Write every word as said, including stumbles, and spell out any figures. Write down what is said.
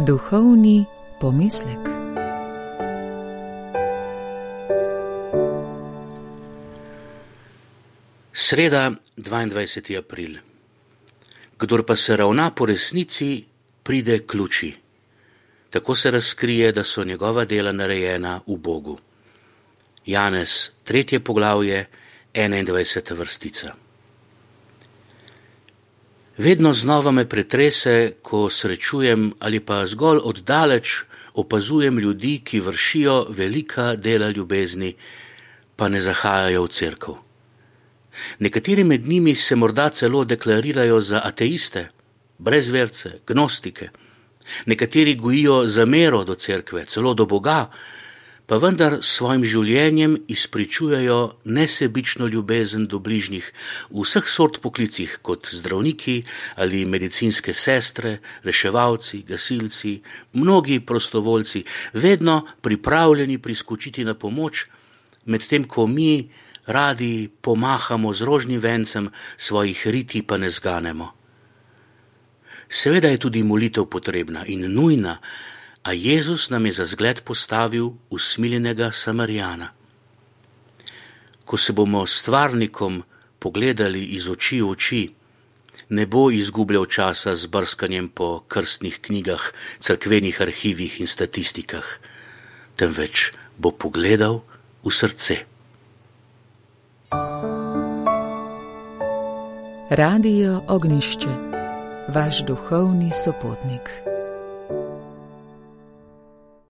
Duhovni pomislek. Sreda, dvaindvajseti april. Kdor pa se ravna po resnici, pride k luči. Tako se razkrije, da so njegova dela narejena v Bogu. Janez, tretje poglavje, enaindvajseta vrstica. Vedno znova me pretrese, ko srečujem ali pa zgolj oddaleč opazujem ljudi, ki vršijo velika dela ljubezni, pa ne zahajajo v cerkev. Nekateri med njimi se morda celo deklarirajo za ateiste, brezverce, gnostike. Nekateri gojijo zamero do cerkve, celo do Boga, pa vendar s svojim življenjem izpričujejo nesebično ljubezen do bližnjih v vseh sort poklicih, kot zdravniki ali medicinske sestre, reševalci, gasilci, mnogi prostovoljci, vedno pripravljeni priskočiti na pomoč, medtem ko mi radi pomahamo z rožnim vencem, svojih riti pa ne zganemo. Seveda je tudi molitev potrebna in nujna, a Jezus nam je za zgled postavil usmiljenega Samarijana. Ko se bomo s stvarnikom pogledali iz oči v oči, ne bo izgubljal časa z brskanjem po krstnih knjigah, cerkvenih arhivih in statistikah, temveč bo pogledal v srce. Radio Ognjišče, vaš duhovni sopotnik.